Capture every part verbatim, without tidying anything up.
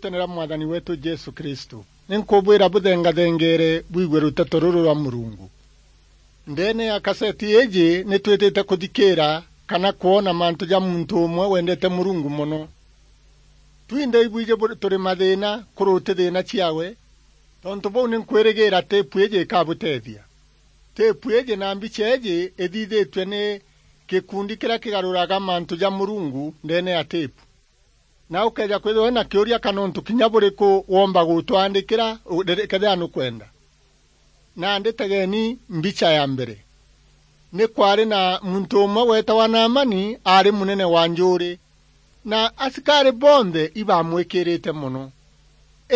Riitwa ni ria Mwathani weetu Jesu Kristu, ni nkubwira buthengathengere bwigue ruteto ruru rwa Murungu. Ndeene ya kaseti iiji ni twitite kuthikira kana kwona mantu ja muntu umwe wendete Murungu mono. Twinthe ibwiji buri turi mathiina kuruti thiina ciawe, tontu buu ni nkwirigiira tipu iiji ikabutethia. Tipu iiji na mbicha iiji ithithitue ni gikundi kiria kigaruraga mantu ja Murungu ndeene ya tipu. Na ukeeja kwithirwa wina kiuria kana untu kinya buriku womba gutwandikira, u-, riri-, kethira nukwenda. Nandi tegeni mbicha ya mbere. Ni kwari na muntu umwe weetawa Naamani, aari munene wa njuuri, na asikari bonthe ibamwikirite mono.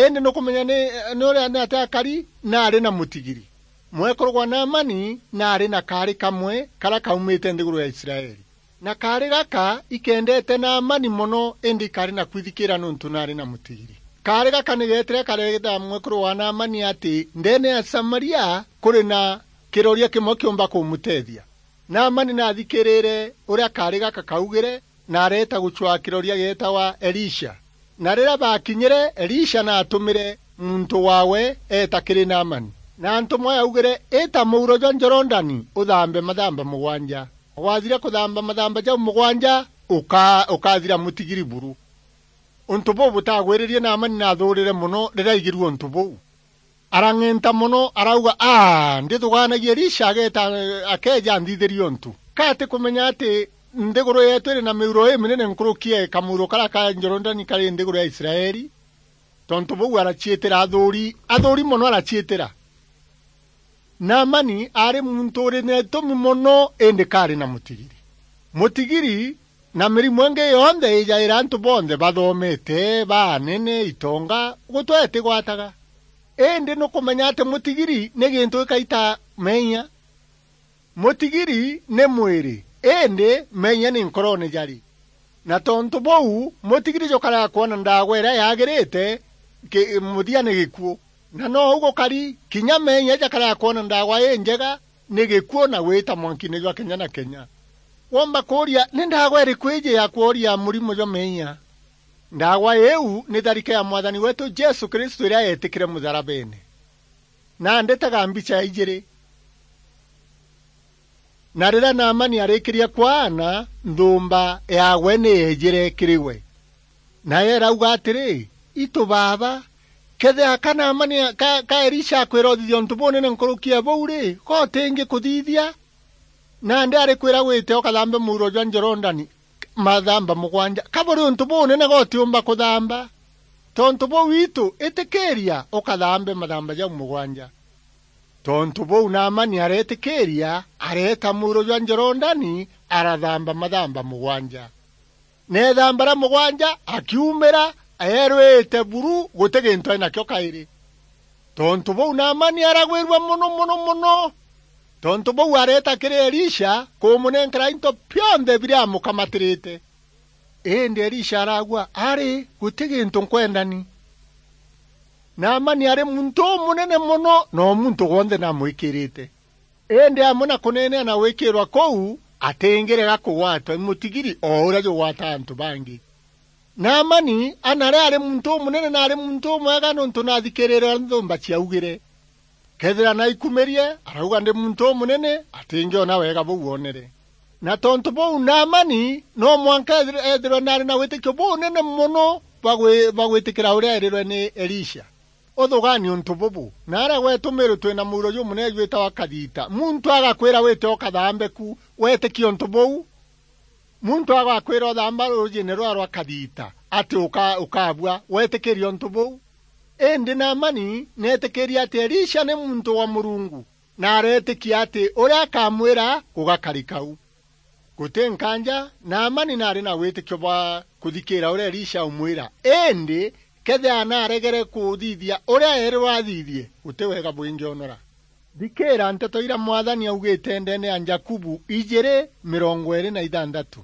Indi nukumenya ni, ni uria ni atia akari? Naari na mutigiri. Mwekuru gwa Naamani naari na kaari kamwe karia kaumite nthiguru ya Israeli. Na kaari gaka ikendete Naamani mono, indi ikaari na kwithikira niuntu naari na mutigiri. Kaari gaka ni geetire kareeta mwekuru wa Naamani ati ndeene ya Samaria kuri na kiroria kimwe kiumba kumutethia. Naamani naathikirire uria kaari gaka kaugire, na areeta gucwaa kiroria geetawa Elisha. Na riria baakinyire, Elisha naatumire muntu waawe eeta kiri Naamani. Na ntumwa yaaugire, "Ita muuro jwa Jorodani, uthambe mathamba mugwanja. Wathira kuthamba mathamba jau mugwanja, uka-, ukathira mutigiri buru." Untu buu butagwirire Naamani naathuurire mono riria aigirue untu buu. Arang'enta mono, arauga, "Aa, ndithugaanagia Elisha ageeta, akeeja anthithirie untu. Ka atikumenya ati nthiguru yeetu iri na miuro iminene nkuruki ya kamuuro karia ka Jorodani kari nthiguru ya Israeli?" Tontu buu araciitira athuuri, athuuri mono araciitira. Naamani aari muntu uri na itumi mono, indi kaari na mutigiri. Mutigiri na mirimo ingi yonthe ijaira antu bonthe bathomete, baanene, itonga, gutwe itigwataga. Indi nukumenya ati mutigiri ni gintu gikaita meeyia. Mutigiri ni mwiri, indi meeyia ni nkoroone jari. Na tontu buu, mutigiri jukaraga kwona ndaagwa iria yaagirite, ki-, muthia ni gikuu. Na nou gukari, kinya meeyia jakaraga kwona ndaagwa injega ni gikuu na gwita mwankiine jwa kenya na kenya. Womba kuuria, ni ndaagwa iriku iiji ya kworia murimo jwa meeyia? Ndaagwa iiu ni tharike ya Mwathani weetu Jesu Kristu iria yeetikire mutharabeene. Na ndetaga mbicha ya ijiri. Na riria Naamani arikirie kwaana, nthumba yaawe ni yeejire kiri we. Nayo irauga atiri, "Itu baaba, kethira ka Naamani, ka, ka Elisha akwira uthithia untu bunene nkuruki ya buu ri, ka utingi kuthithia? Nandi arikwira wite ukathambe muuro jwa Jorodani mathamba mugwanja, ka buri untu bunene ka utiumba kuthamba? Tontu buu itu, itikiria ukathambe mathamba jau mugwanja." Tontu buu Naamani areetikiiria, areeta muuro jwa Jorodani, arathamba mathamba mugwanja. Na ethamba ra mugwanja, akiumira, eerwite buru, guti gintu aari nakio kairi. Tontu buu Naamani aragwirua mono, mono, mono. Tontu buu areeta kiri Elisha kumunenkera into bionthe biria amukamatirite. Indi Elisha aragua, "Ari, guti gintu nkwenda ni." Naamani ari muntu umunene mono, na o muntu wonthe namwikirite. Indi amwe na kuneenea na gwikirwa kuu, atingirega kugwatwa i mutigiri o uria jugwata antu bangi. Naamani anari ari muntu umunene na ari muntu umwega, nontu nathikirire uria nthumba ciaugire. Kethira naikumirie, arauga ndi muntu umunene, atingiona wega buu oonere. Na tontu buu, Naamani no mwanka ethirwe, ethirwe naari na witikio bunene mono bwa gwi-, bwa gwitikira uria eerirwe ni Elisha. Uthugani untu bubu, naara gwetu Meru twina muuro jumunene jwitawa Kathita. Muntu agakwira wite ukathambe ku, wetikia untu buu? Muntu agakwira uthamba ruujine rwa, rwa Kathita, ati uka-, ukabua, wetikiria untu buu? Indi Naamani neetikirie ati Elisha ni muntu wa Murungu, na areetikia ati uria akamwira gugakarika u. Guti nkaanja, Naamani naari na witikio bwa kuthikiira uria Elisha aumwira, indi kethira naaregere kuthithia uria eerirwe athithie, guti wega bwingionora. Thikiira nteto iria Mwathani augite ndeene ya Jakubu ijiri mirongo iiri na ithanthatu.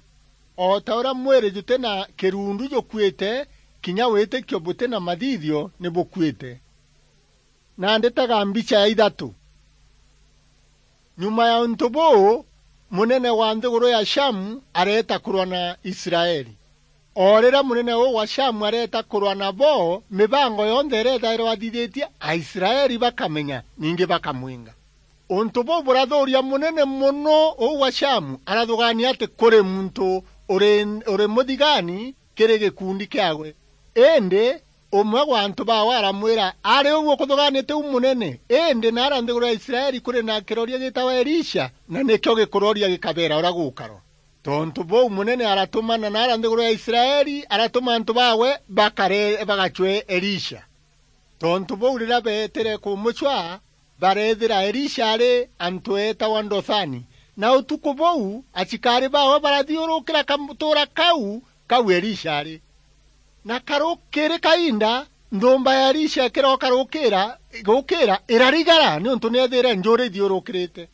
O ta uria mwiri juti na kirundu jukuite, kinya witikio buti na mathithio ni bukuite. Na nditaga mbicha ya ithatu. Nyuma ya untu buu, munene wa nthiguru ya Shamu areeta kurwa na Israeli. O riria munene uu wa Shamu areeta kurwa nabo, mibango yonthe iria ithairwa athithitie, Aisraeli bakamenya, ningi bakamwinga. Untu buu burathuuria munene mono uu wa Shamu arathugaania ati kuri muntu uri, uri muthigani kiri gikundi kiaawe. Indi umwe wa antu baawe aramwira, ari uu ukuthugaania ti u munene, indi naara nthiguru ya Israeli kuri na kiroria gitawa Elisha, na nikio gikuroria gikabeera uria gukarwa. Tontu buu munene aratumana naara nthiguru ya Israeli, aratuma antu baawe bakare, bagacwe Elisha. Tontu buu riria beetire kumucwa, bareethira Elisha ari antu eetawa Dothani, na utuku buu acikaari baawe barathiurukira katuura kau, kau Elisha ari. Na karu-, kiri kainda, nthumba ya Elisha ikirooka rukira, gukira, irarigara, niuntu ni eethiire njuuri ithiurukirite.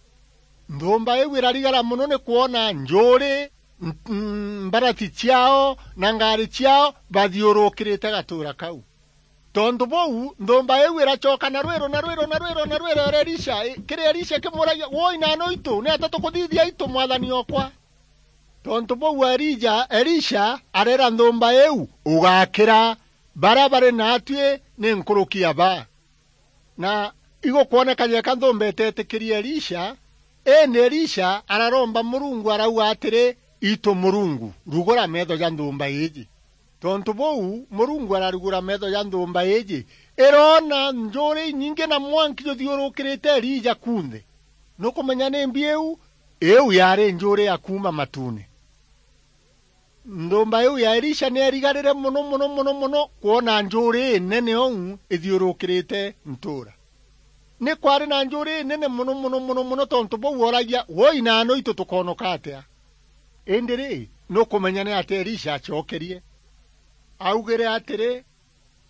Nthumba iu irarigara mono ni kwona njuuri, m-, m-, mbarathi ciaao na ngaari ciaao bathiurukirite gatuura kau. Tontu buu, nthumba iu iracoka na rwiro, na rwiro, na rwiro, na rwiro, ira Elisha, i-, kiri Elisha ikimuragia, "Woi, naano itu, niata tukuthithia itu, mwathani okwa?" Tontu buu Elija, Elisha areera nthumba iu, "Ugakira, baria bari naatui ni nkuruki ya baa." Na igukwoneka jeka nthumba iteetikirie Elisha, indi Elisha araromba Murungu, arauga atiri, "Itu Murungu, rugura meetho ja nthumba iiji." Tontu buu, Murungu ararugura meetho ja nthumba iiji, iroona njuuri inyingi na mwanki juthiurukirite Elija kunthe. Nukumenya nimbi iu? Iu yaari njuuri ya kuuma matuune. Nthumba iu ya Elisha ni yarigarire mono, mono, mono, mono kwona njuuri inene uu ithiurukirite ntuura. Ni kwaari na njuuri inene mono, mono, mono, mono, tontu buu ooragia, "Woi, naano itu tukoonoka atia?" Indi ri, nukumenya ni atia Elisha acokerie? Augire atiri,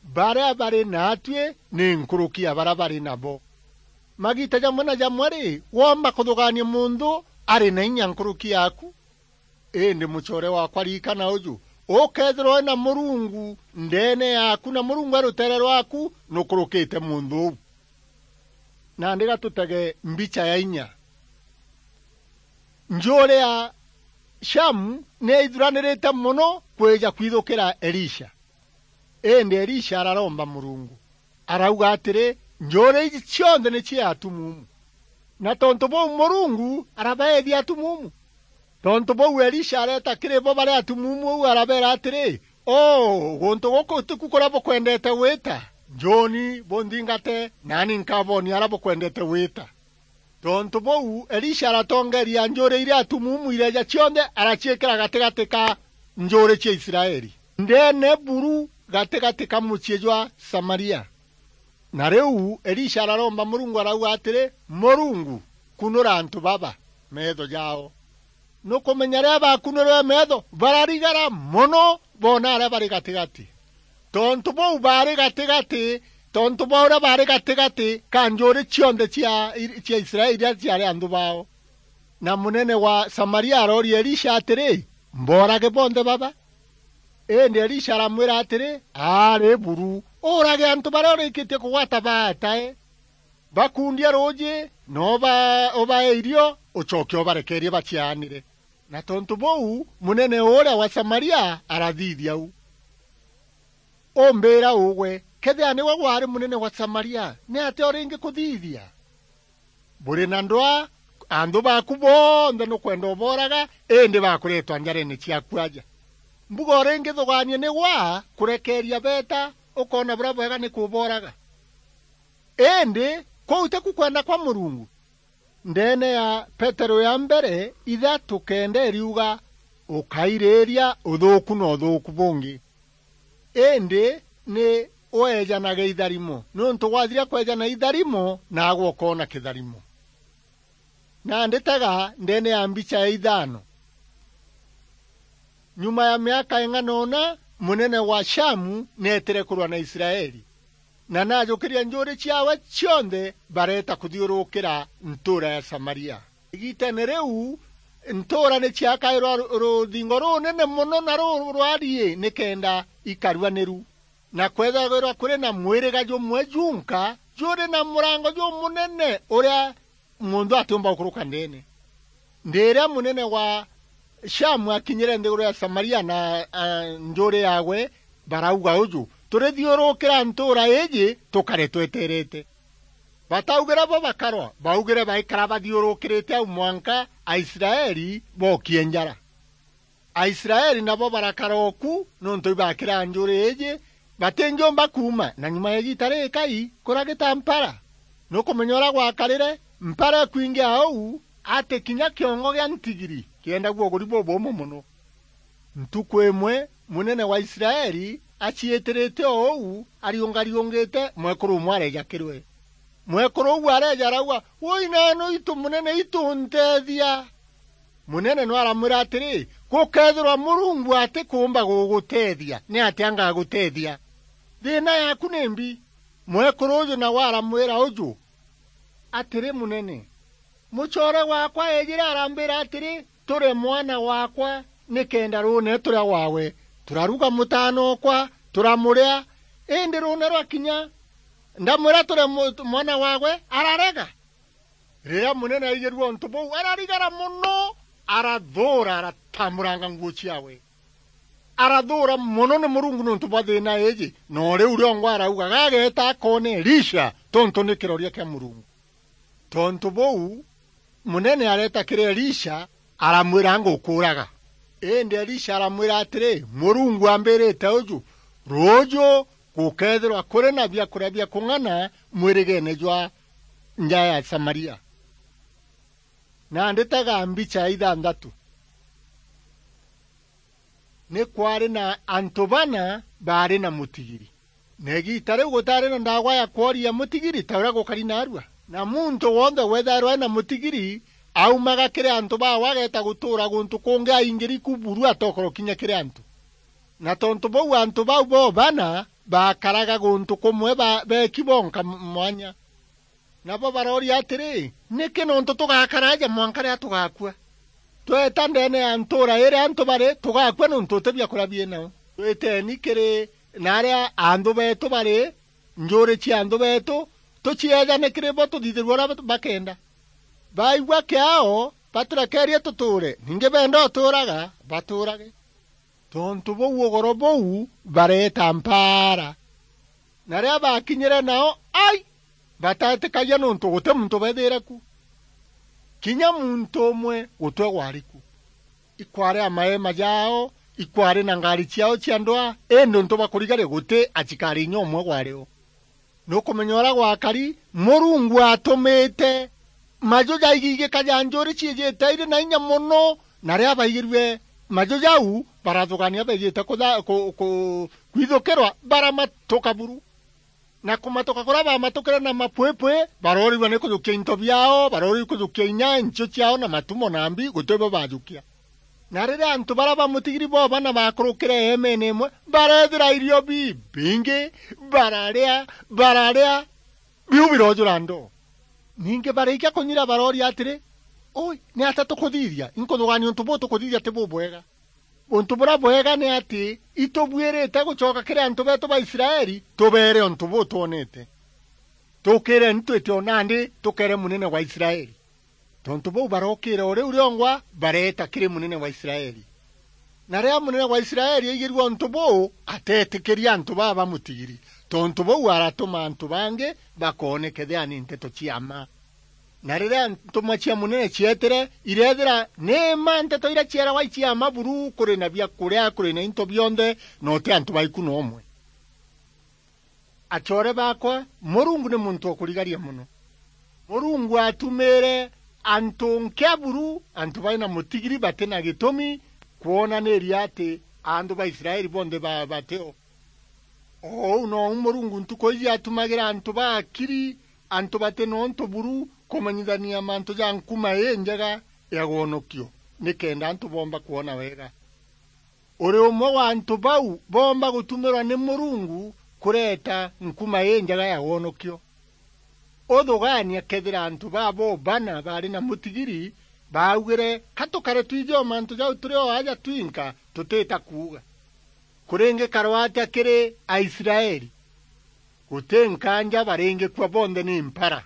"Baria bari naatui ni nkuruki ya baria bari nabo." Magiita jamwe na jamwe ri, woomba kuthugaania muntu ari na inya nkuruki yaaku? Indi mucoore waakwa, ririkana uju, ukeethirwa wi na Murungu ndeene yaaku, na Murungu e ruteere rwaaku, nukurukite muntu uu. Nandi ga tutege mbicha ya inya. Njuuri ya Shamu ni yaithuranirite mono kwija kwithukira Elisha. Indi Elisha araromba Murungu, arauga atiri, "Njuuri iji cionthe ni cia atumuumu." Na tontu buu Murungu arabaethia atumuumu. Tontu buu Elisha areeta kiri bo bari atumuumu uu, arabeera atiri, "O, guntu guku tiku kuria bukwendete gwita. Njuuni bunthingate, naani nkaboonia aria bukwendete gwita." Tontu buu, Elisha aratongeeria njuuri iria atumuumu ireeja cionthe, araciikira gatigati ka njuuri cia Israeli, ndeene buru gatigati ka mucii jwa Samaria. Na riu Elisha araromba Murungu, arauga atiri, "Murungu, kunura antu baba meetho jaao." Nukumenya riria bakunurwe meetho, bararigara mono boona aria bari gatigati. Tontu bau baari gatigati, tontu bwa uria baari gatigati ka njuuri cionthe cia, cia Israeli iria ciaari anthu bao. Na munene wa Samaria arooria Elisha atiri, "Mboorage bonthe baba?" Indi Elisha aramwira atiri, "Aari buru, uurage antu baria urikitie kugwata baatae. Bakundie ruuji, na uba-, ubae irio, ucoke ubarekeerie baciaanire." Na tontu buu, munene uria wa Samaria arathithia uu. Umbiira ugwe, kethira niwe waari munene wa Samaria, ni atia uringi kuthithia? Buri na ndwaa, anthu baaku bonthe nukwenda ubooraga, indi bakureetwa njareene ciaku aja. Mbuga uringithugaania ni gwaa kurekeeria beeta, ukoona buria bwega ni kubooraga? Indi kuu tiku kwenda kwa Murungu? Ndeene ya Petero ya mbere ithatu kenda iriuga, "Ukairiiria uthuuku na uthuuku bungi, indi ni weejanage itharimo, niuntu gwathiria kweejana itharimo, naagwe ukoona kitharimo." Nandi tega ndeene ya mbicha ya ithano. Nyuma ya miaka ing'ana una, munene wa Shamu neetire kurwa na Israeli, na naajukirie njuuri ciawe cionthe, bareeta kuthiurukira ntuura ya Samaria. Igiiteene riu, ntuura ni ciakairwa ru-, ruthingo runene mono na ru-, rwarie nikenda ikarua ni ru, na kwethagirwa kuri na mwiriga jumwe junka juri na murango jumunene uria muntu atiumba gukuruka ndeene. Ndiria munene wa Shamu akinyire nthiguru ya Samaria na, a, njuri yagwe, barauga uju, "Turithiurukira ntuura iiji, tukare tweterete." Bataugire bo bakarwa, baugire baikara bathiurukirite au mwanka Aisraeli bokie njara. Aisraeli nabo barakara oku, nontu ibakira njuri iiji, batinjumba kuuma, na nyuma ya igiita rikai, kuragita mpara. Nukumenya uria gwakarire, mpara ikwingia au, ati kinya kiongo gia ntigiri kiendagua uguri bubumwe mono. Ntuku imwe, munene wa Israeli aciitirite o uu, ariungariungite, mwekuru umwe areeja kiri we. Mwekuru uu areeja arauga, "Wui naanu itu munene, itu nteethia." Munene no aramwira atiri, "Gukeethirwa Murungu atikuumba guguteethia, ni atia ngaguteethia? Thiina yaaku nimbi?" Mwekuru uju nawe aramwira uju, "Atiri munene, mucoore waakwa eejire arambira atiri, 'Ture mwana waakwa nikenda ruune turia waawe. Turaruga mutaanookwa, turamuria, indi ruune rwakinya, ndamwira, 'Ture mu-, mwana waawe,' ararega." Riria munene aigirue untu buu, ararigara mono, arathuura, aratamuranga nguu ciaawe. Arathuura mono ni Murungu niuntu bwa thiina iiji, na o riu riongwa arauga, "Gageeta akoone Elisha, tontu ni kiroria kia Murungu." Tontu buu, munene areeta kiri Elisha, aramwira, "Ngukuuraga." Indi Elisha aramwira atiri, "Murungu ambirite uju, ruuju gukeethirwa kuri na biakuria bia kung'ana mwirigeene jwa nja ya Samaria." Nandi tega mbicha ya ithanthatu. Ni kwaari na antu bana baari na mutigiri. Na igiita riu gutaari na ndaagwa ya kworia mutigiri ta uria gukari naarua. Na muntu wonthe weethairwa ari na mutigiri, aumaga kiri antu baawe ageeta gutuura guntu kungi aingiri ku buru atokoro kinya kiri antu. Na tontu buu antu bau bo bana baakaraga guntu kumwe ba-, beeki bonka m-, mwanya. Nabo barooria atiri, "Niki nontu tugakara aja mwanka riria tugakua? Tweeta ndeene ya ntuura iria antu bari, tugakua nontu uti biakuria biinao. Twiteni kiri naaria anthu beetu bari, njuuri cia anthu beetu, tucieejane kiri bo tuthithirue uria bakenda. Baigua kiao, baturekeerie tutuure, ningi beenda utuuraga, batuurage." Tontu buu ugoro buu bareeta mpaara. Na riria baakinyire nao, ai, bataetikagia nontu guti muntu beethiire ku. Kinya muntu umwe gutwe gwari ku. Ikwaari a maema jaao, ikwaari na ngaari ciao cia ndwaa, indi untu bwa kurigaria guti acikaari inya umwe gwari o. Nukumenya uria gwakari, Murungu atumite maju jaigigika ja njuuri ciijite iri na inya mono, na riria baigirue maju jau, barathugania beejite kutha-, ku-, ku-, kwithukirwa, baramatuka buru. Na kumatuka kuria baamatukire na mapwipwi, baroorirua ni kujukia into biao, baroorirua kujukia inya, nchiu ciao na matumo na mbi, guti bo bajukia. Na riria antu baria ba mutigiri bo bana baakurukire eemeene imwe, bareethira irio bibingi, bararia, bararia, biu biroojura ndoo. Ningi barikia kunyira barooria atiri, "Ui, ni atia tukuthithia? Inkuthugania untu buu tukuthithia ti bubwega. Untu buria bwega ni ati itubuirite gucoka kiri antu beetu ba Israeli, tubeere untu buu twonete. Tukiireni twite o nandi tukeere munene wa Israeli." Tontu buu barookira o riu riongwa, bareeta kiri munene wa Israeli. Na riria munene wa Israeli aigirue untu buu, ateetikiria antu baa ba mutigiri. Tontu buu aratuma antu bangi bakoone kethira ni nteto cia mma. Na riria ntumwa cia munene cieetire, ireethira ni mma nteto iria cieeragwa i cia mma buru, kuri na biakuria, kuri na into bionthe, na uti antu baiku na umwe. Acoore baakwa, Murungu ni muntu o kurigaria mono. Murungu aatumiire antu nkia buru, antu bari na mutigiri bati na gitumi, kwonaniria ati antu ba Israeli bonthe ba-, bati o. O uu nou Murungu ntuku iji atumagira antu ba akiri, antu bati na untu buru, kumenyithania mantu ja nkuma injega ya wonokio, nikenda antu boomba kwona wega. Uri umwe wa antu bau boomba gutumirwa ni Murungu kureeta nkuma injega ya wonokio. Uthugaania kethira antu babo bana baari na mutigiri baaugire, "Ka tukare twiji o mantu jau turi o aja twinka, tutita kuuga." Kuringikarwa atia kiri Aisraeli? Guti nkaanja baringikua bonthe ni mpara.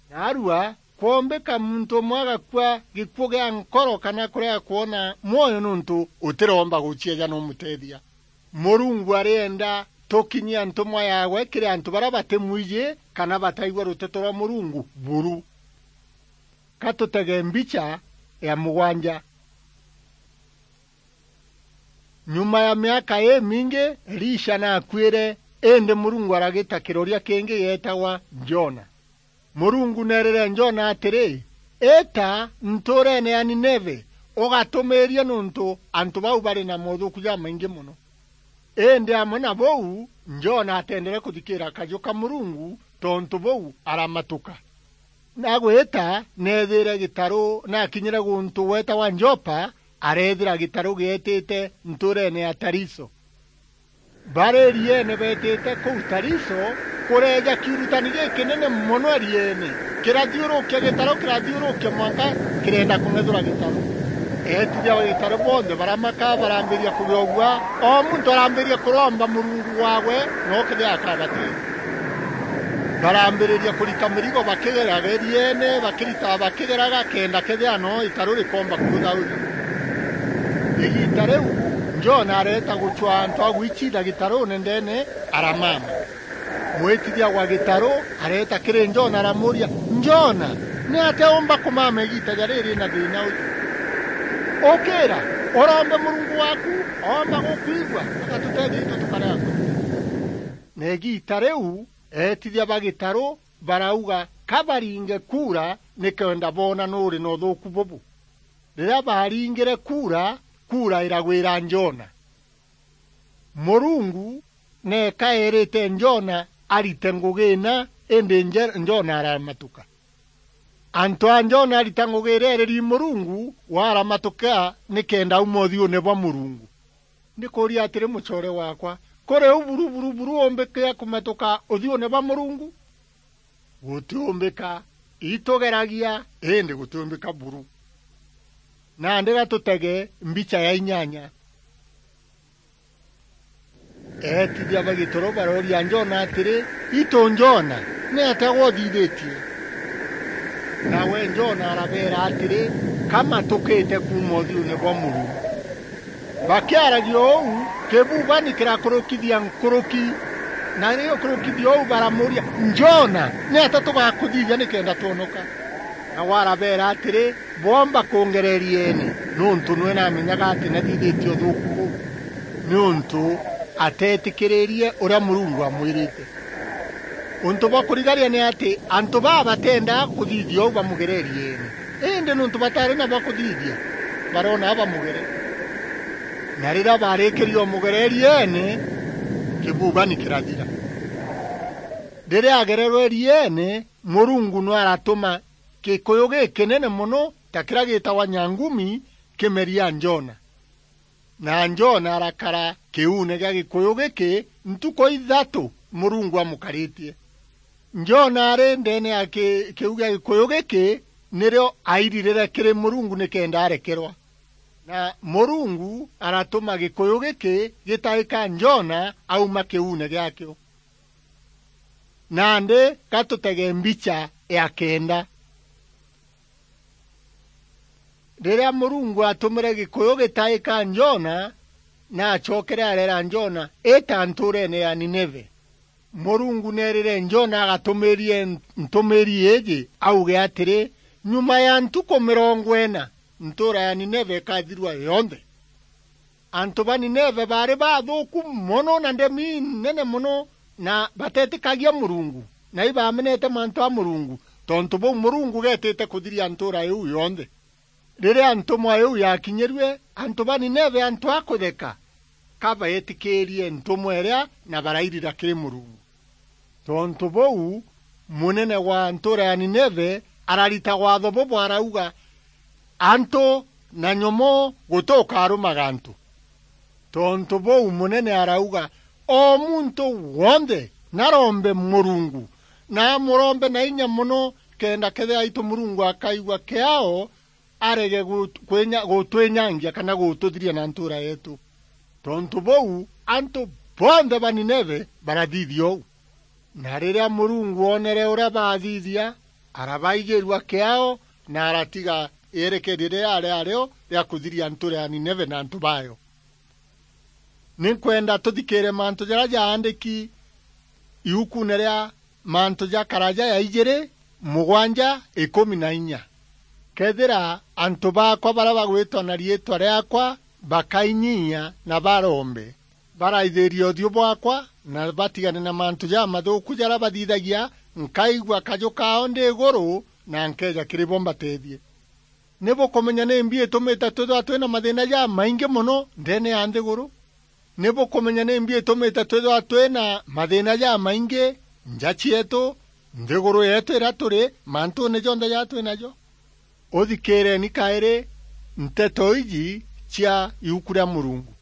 Naarua, Kwombika muntu umwe agakua gikuu gia nkoro kana kurega kwona mwoyo niuntu utiromba gucieja na umuteethia. Murungu arienda tukinyia ntumwa yaawe kiri antu baria batimwiji kana bataigua ruteto rwa Murungu buru. Ka tutege mbicha ya mugwanja. Nyuma ya miaka imingi, Elisha naakuire, indi Murungu aragita kiroria kingi gietagwa Jona. Murungu neerire Jona atiri, "Ita ntuureene ya Nineve, ugatumiirie niuntu antu bau bari na moothuuku jamaingi mono." Indi amwe na buu, Jona ateendere kuthikiira kaju ka Murungu, tontu buu aramatuka. Agwita, neethiire gitaru, na akinyire guntu gweetagwa Jopa, areethira gitaru gietite ntuureene ya Tariso. Bari irieene beetite kuu Tariso, kureeja kiurutani gikinene mono irieene, kirathiurukia gitaru, kirathiurukia mwanka kirenda kung'ethura gitaru. Eetithia ba gitaru bonthe baramaka, barambiria kugiogua, o muntu arambiria kuromba murungu waawe, no kethira akabateethia. Barambiriria kurita mirigo bakigeraga irieene, bakiritaga bakigeraga, kenda kethira no itaru rikomba kurutha uju. Igiita riu, Jona areeta gucwaa antu a gwiciitha gitaruune ndeene, aramama. Mwitithia wa gitaru areeta kiri Jona, aramuuria, "Jona, niatia umba kumama igiita ja riri na thiina uju? Ukiira, urombe Murungu waaku, oomba gukwigua, agatuteethia itu tukarega kuthira." Na igiita riu, eetithia ba gitaru barauga ka baringe kuura nikenda boona nuuri na uthuuku bubu. Riria baaringire kuura, kuura iragwira Jona. Murungu neeka eerite Jona arite ngugi ina, indi Nje-, Jona aramatuka. Antu a Jona arita ngugi iria eereri Murungu, waramatuka nikenda auma uthiuune bwa Murungu. Ndikuuria atiri, mucoore waakwa, kuri u buru, buru, buru umbike kumatuka uthiuune bwa Murungu? Gutiumbika, itugeragia, indi gutiumbika buru. Nandi ga tutege mbicha ya inyanya. Eetithia ba gitaru barooria Jona atiri, "Itu Jona, niatia gwe uthithitie?" Nawe Jona arabeera atiri, "Ka matukite kuuma uthiuune bwa Murungu." Bakiaragia uu, kibubani kirakurukithia nkuruki. Na riu kurukithia uu baramuuria, "Jona, niatia tugakuthithia nikenda twonoka?" Nawe arabeera atiri, "Boomba kungereria iene, niuntu nwe namenyaga ati nathithitie uthuuku buu, niuntu ateetikiririe uria Murungu amwirite." Untu bwa kurigaria ni ati antu baa bateendaa kuthithia uu bamugererie iene. Indi niuntu bataari na bwa kuthithia, baroona bamugere. Na riria baarikirie umugereria iene, kibubani kirathira. Riria agererwe irieene, Murungu nwe aratuma gikuyu gikinene mono ta kiria gitagwa nyangumi kimeria Jona. Na Jona arakara kiuune gia gikuyu giki ntuku ithatu Murungu amukaritie. Jona ari ndeene ya ki-, kiu gia gikuyu giki, nirio airirire kiri Murungu nikenda arekerwa. Na Murungu aratuma gikuyu giki gitaika Jona auma kiuune giakio. Nandi ga tutege mbicha ya kenda. Riria Murungu aatumire gikuyu gitaika Jona, naacokere areera Jona, "Ita ntuureene ya Nineve." Murungu neerire Jona agatumiirie ntumiiri iiji, auge atiri, "Nyuma ya ntuku mirongo ina, ntuura ya Nineve ikathirua yonthe." Antu ba Nineve baari bathuuku mono na ndemi inene mono, na bateetikagia Murungu, na ibamenete mantu a Murungu, tontu buu Murungu geetite kuthiria ntuura iu yonthe. Riria ntumwa iu yaakinyirue, antu ba Nineve antu a kutheka, ka beetikiirie ntumwa iria na barairira kiri Murungu. Tontu buu, munene wa ntuura ya Nineve ararita waatho bubu, arauga, "Antu na nyomoo guti ukarumaga antu." Tontu buu, munene arauga, "O muntu wonthe narombe Murungu, na amurombe na inya mono, kenda kethira aitu Murungu akaigua kiao, arege gut-, kwinya-, gutwinyangia kana gututhiria na ntuura yeetu." Tontu buu, antu bonthe ba Nineve barathithia uu. Na riria Murungu oonere uria baathithia, Arabaigirua kiao na aratiga yerekeeria riria riario ria kuthiria nture ya Nineve na antu bayo. Ni nkwenda tuthikiire mantu jaria jaandiki iukune ria Mantu ja Karaja ya ijiri, mugwanja, ikumi na inya. Kethira antu baakwa baria bagwitwa na riitwa riaakwa bakainyiia na barombe, baraithiria uthiu bwaakwa, na batigane na mantu jamathuuku jaria bathithagia, nkaigua kaju kaao ndi iguru, na nkeeja kiri bo mbateethie. Ni bukumenya nimbi itumite twithirwa twina mathiina jamaingi mono ndeene ya nthiguru? Ni bukumenya nimbi itumite twithirwa twina mathiina jamaingi nja cieetu, nthiguru yeetu iria turi, mantuune jonthe jaria twi najo? Uthikiireeni kairi nteto iji cia iuku ria Murungu.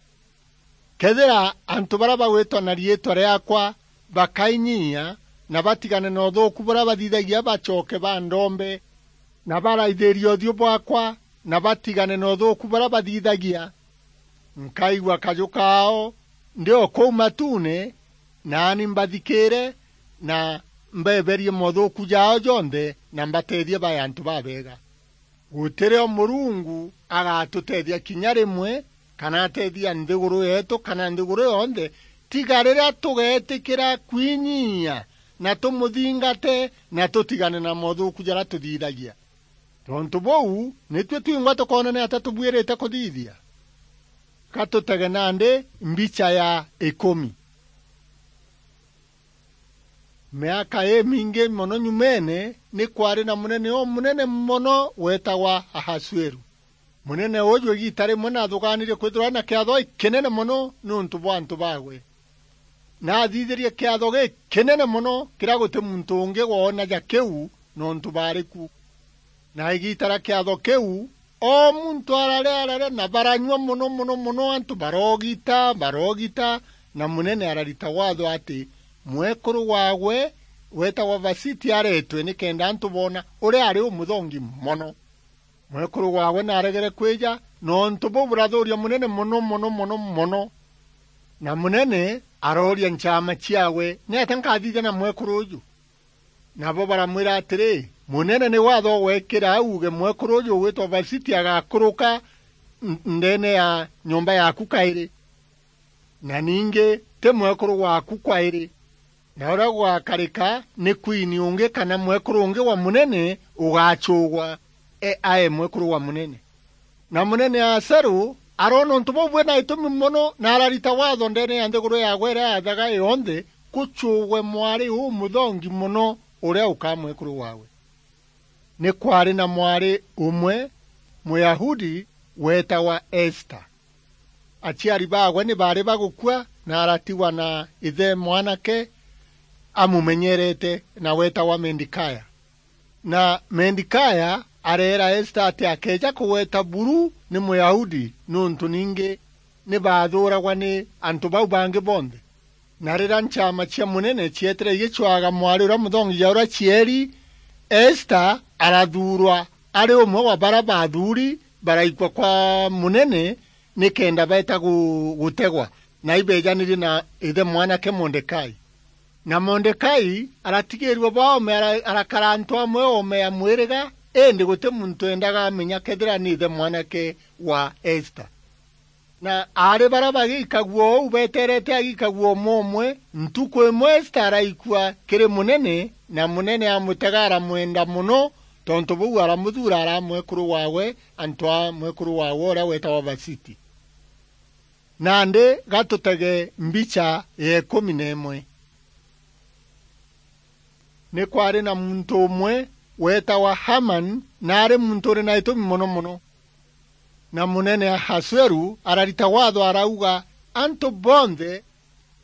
Kethira antu baria bagwitwa na riitwa riaakwa bakainyiia, na batigane na uthuuku buria bathithagia, bacoke bandombe, na baraithiria uthiu bwaakwa, na batigane na uthuuku buria bathithagia, nkaigua kaju kaao ndi o kuu matuune, naani mbathikiire, na mbeeberie mothuuku jaao jonthe, na mbateethie bae antu babeega. Gutirio Murungu agatuteethia kinya rimwe, kana ateethia nthiguru yeetu, kana nthiguru yonthe, tiga riria tugeetikira kwinyiia, na tumuthingate, na tutigane na mothuuku jaria tuthithagia. Tontu buu, nitui twingwa tukoona niatia tubuirite kuthithia? Ka tutege nandi mbicha ya ikumi. Miaka imingi mono nyumeene, ni kwaari na munene umunene mono weetagwa Ahasueru. Munene uuju igiita rimwe naathugaanirie kwithirwa na kiatho gikinene mono niuntu bwa antu baawe. Naathithirie kiatho gikinene mono kiria guti muntu ungi woonaja kiu niuntu baari ku. Na igiita ria kiatho kiu, o muntu araria, araria, na baranyua mono, mono, mono, antu baroogita, baroogita, na munene ararita waatho ati mwekuru waawe weetagwa Vasiti areetwe, nikenda antu boona uria ari umuthongi mono. Mwekuru waawe naaregere kwija, nontu buu burathuuria munene mono, mono, mono, mono. Na munene arooria nchaama ciaawe, "Niatia nkathithia na mwekuru uuju?" Nabo baramwira atiri, "Munene ni waatho ugwekira au uuge mwekuru uuju ugwitwa Vasiti agakuruka n-, ndeene ya nyomba yaaku kairi. Na ningi ti mwekuru waaku kwairi. Na uria gugakarika ni kwini ungi kana mwekuru ungi wa munene ugacuugwa e-, ae mwekuru wa munene." Na munene Aseru aroona untu buu bwina gitumi mono, na ararita waatho ndeene ya nthiguru yaawe iria yaathaga yonthe, kucuugwe mwari umuthongi mono uria ukaa mwekuru waawe. Ni kwaari na mwari umwe Muyahudi weetagwa Esta. Aciari baawe ni baari bagukua, na aratigwa na ithe mwanake amumenyerete, na weetagwa Mendikaya. Na Mendikaya areera Esta ati akeeja kugweta buru ni Muyahudi, niuntu ningi ni baathuuragwa ni antu bau bangi bonthe. Na riria nchaama cia munene cietire igicwaga mwari uria muthongi ja uria cieri, Esta arathuurwa ari umwe wa baria baathuuri baraikua kwa munene, nikenda beeta gu-, gutegwa, na ibeejanirie na ithe mwanake Mordekai. Na Mordekai aratigiirua bwa oome, ara-, arakara antu amwe oome ya mwiriga, indi guti muntu eendaga amenya kethira ni ithe mwanake wa Esta. Na aari baria bagikagua uu beeterete agikagua umwe umwe, ntuku imwe Esta araikua kiri munene, na munene amutega aramwenda mono, tontu buu aramuthuura ara mwekuru waawe, antu a mwekuru waawe uria weetagwa Vasiti. Nandi ga tutege mbicha ya ikumi na imwe. Ni kwaari na muntu umwe weetagwa Hamani, na aari muntu uri na itumi mono mono. Na munene Ahasueru ararita waatho arauga, antu bonthe,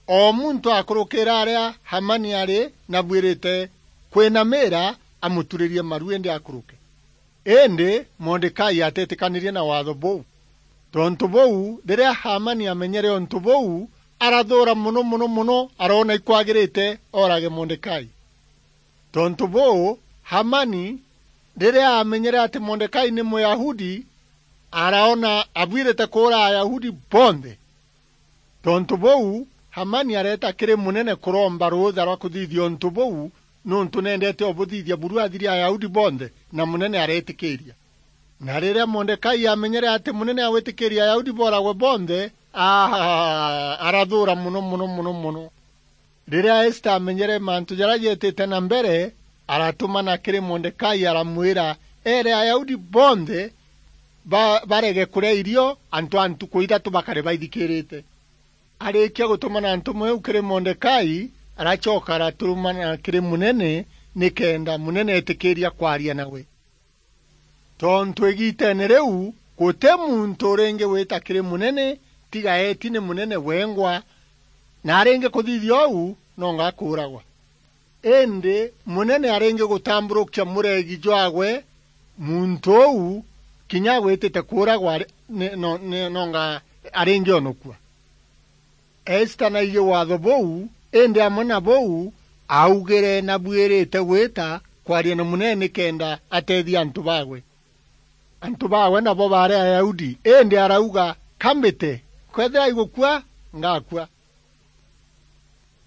o muntu akurukira aria Hamani ari, na bwirite kwinamira amuturirie maru indi akuruke. Indi Mordekai ateetikanirie na waatho buu. Tontu buu, riria Hamani aamenyere untu buu, arathuura mono, mono, mono, aroona ikwagirite oorage Mordekai. Tontu buu, Hamani, riria aamenyere ati Mordekai ni Muyahudi, araona abwirite kuura Ayahudi bonthe. Tontu buu, Hamani areeta kiri munene kuromba ruutha rwa kuthithia untu buu, niuntu neendete ubuthithia buru athiri Ayahudi bonthe, na munene areetikiiria. Na riria Mordekai aamenyere ati munene agwitikiiria Ayahudi booragwe bonthe, aa, arathuura mono, mono, mono, mono. Riria Esta aamenyere mantu jaria jeetite na mbere, aratumana kiri Mordekai, aramwira eere Ayahudi bonthe ba-, barege kuria irio antu a ntuku ithatu bakare baithikiirite. Arikia gutumana ntumwa iu kiri Mordekai, aracoka aratumana kiri munene, nikenda munene eetikiiria kwaria nawe. Tontu igiiteene riu guti muntu uringi gwita kiri munene, tiga eeti ni munene wengwa, na aringi kuthithia uu, nonga akuuragwa. Indi munene aringi gutamburukia muregi jwaagwe muntu uu, kinya agwitite kuuragwa ari-, ni-, no-, ni-, nonga aringi onokua. Esta naiji waatho buu, indi amwe na buu, aaugire nabuirite gwita kwaria na munene nikenda ateethia antu baagwe. Antu baagwe nabo baari Ayahudi, indi arauga, "Ka mbite, kwethira igukua, ngakua."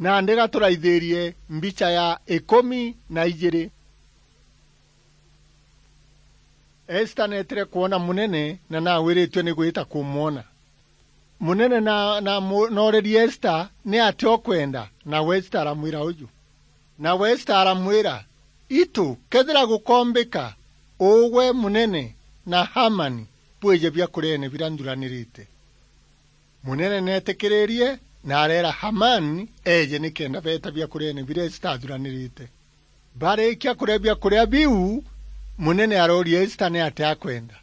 Nandi ga turaithirie mbicha ya ikumi na ijiri. Esta neetire kwona munene na naawiritue ni gwita kumwona. Munene na, na mu-, noorerie Esta ni atia ukwenda, nawe Esta aramwira uju. Nawe Esta aramwira, "Itu, kethira gukombika, ugwe munene na Hamani bwije biakuriene biria nthuranirite." Munene neetikiririe na areera Hamani eeje nikenda beeta biakuriene biria Esta athuranirite. Barikia kuria biakuria biu, munene arooria Esta ni atia akwenda.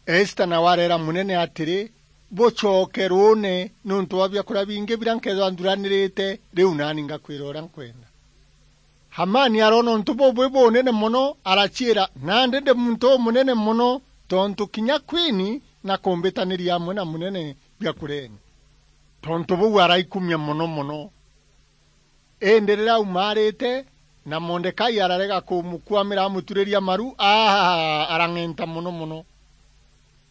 Esta nawe areera munene atiri, "Bucoke ruune niuntu bwa biakuria bingi biria nkeethirwa nthuranirite, riu naani ngakwira uria nkwenda." Hamani aroona untu buu bwi bunene mono, araciira, "Nandi ndi muntu umunene mono, tontu kinya kwini nakumbitaniria amwe na munene biakuriene. Tontu buu araikumia mono mono." Indi riria aumaarite, na Mordekai ararega kumukuamira amuturiria maru, aa, arang'enta mono mono.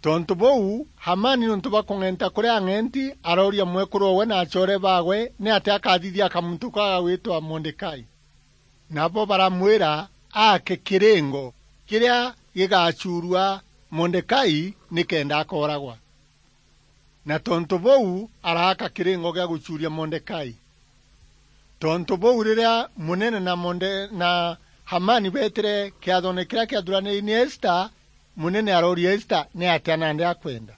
Tontu buu, Hamani, niuntu bwa kung'enta kuria ang'enti, arooria mwekuru owe na acoore baagwe ni atia akathithia kamuntu kau gagwitwa Mordekai. Nabo baramwira aake kiringo kiria gigacuurua Mordekai nikenda akooragwa. Na tontu buu, araaka kiringo gia gucuuria Mordekai. Tontu buu, riria munene na Morde-, na Hamani beetire kiathone kiria kiathuraniri ni Esta, munene arooria Esta ni atia nandi akwenda.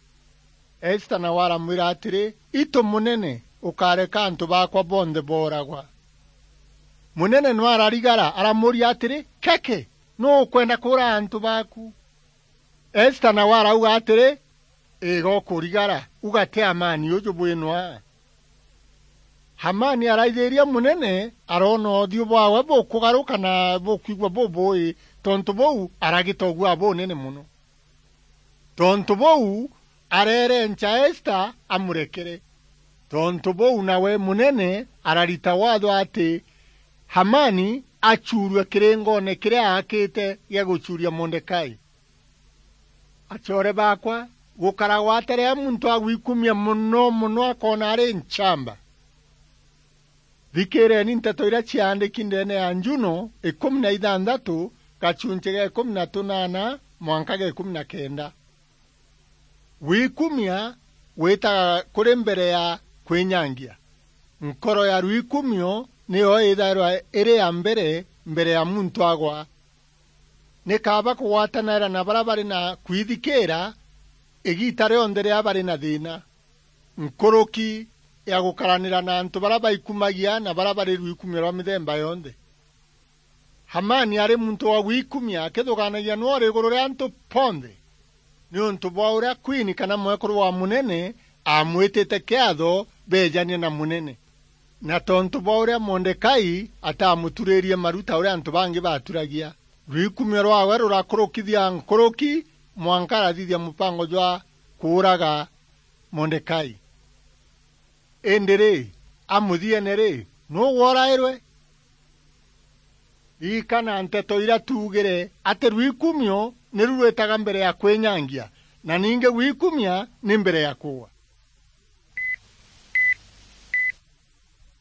Esta nawe aramwira atiri, "Itu munene, ukareka antu baakwa bonthe booragwa." Munene nwe ararigara, aramuuria atiri, "Keke, nuu ukwenda kuuraga antu baaku?" Esta nawe arauga atiri, "Iga ukurigara, ugate Hamani uju bwinwa." Hamani araithiria munene, aroona uthiu bwawe bukugaruka na bukwigua bubui, tontu buu aragita ugua bunene mono. Tontu buu, areerenca Esta amurekere. Tontu buu, nawe munene ararita waatho ati Hamani acuurue kiringone kiria aakite gia gucuuria Mordekai. Acoore baakwa, gukaragwa ata riria muntu agwikumia mono mono akoona ari nchamba? Thikiireni nteto iria ciaandiki ndeene ya Njuno ikumi na ithanthatu, gachunchi ga ikumi na tunaana mwanka ga ikumi na kenda. Gwikumia gwitaga kuri mbere ya kwinyangia. Nkoro ya rwikumio niyo ithairwa iri ya mbere, mbere ya muntu agwa. Ni kaaba kugwatanaira na baria bari na kwithikiira igiita rionthe riria bari na thiina, nkuruki ya gukaranira na antu baria baikumagia na baria bari rwikumio rwa mithemba yonthe. Hamani ari muntu wa gwikumia, akithugaanagia nwe uri iguru ria antu bonthe, niuntu bwa uria kwini kana mwekuru wa munene aamwitite kiatho beejanie na munene, na tontu bwa uria Mordekai ataamuturirie maru ta uria antu bangi baaturagia. Rwikumio rwaawe rurakurukithia nkuruki mwanka arathithia mupango jwa kuuraga Mordekai. Indi ri, a muthiene ri, nuu worairwe? Ririkana nteto iria tuugire, ati rwikumio niru rwitaga mbere ya kwinyangia, na ningi gwikumia ni mbere ya kuua.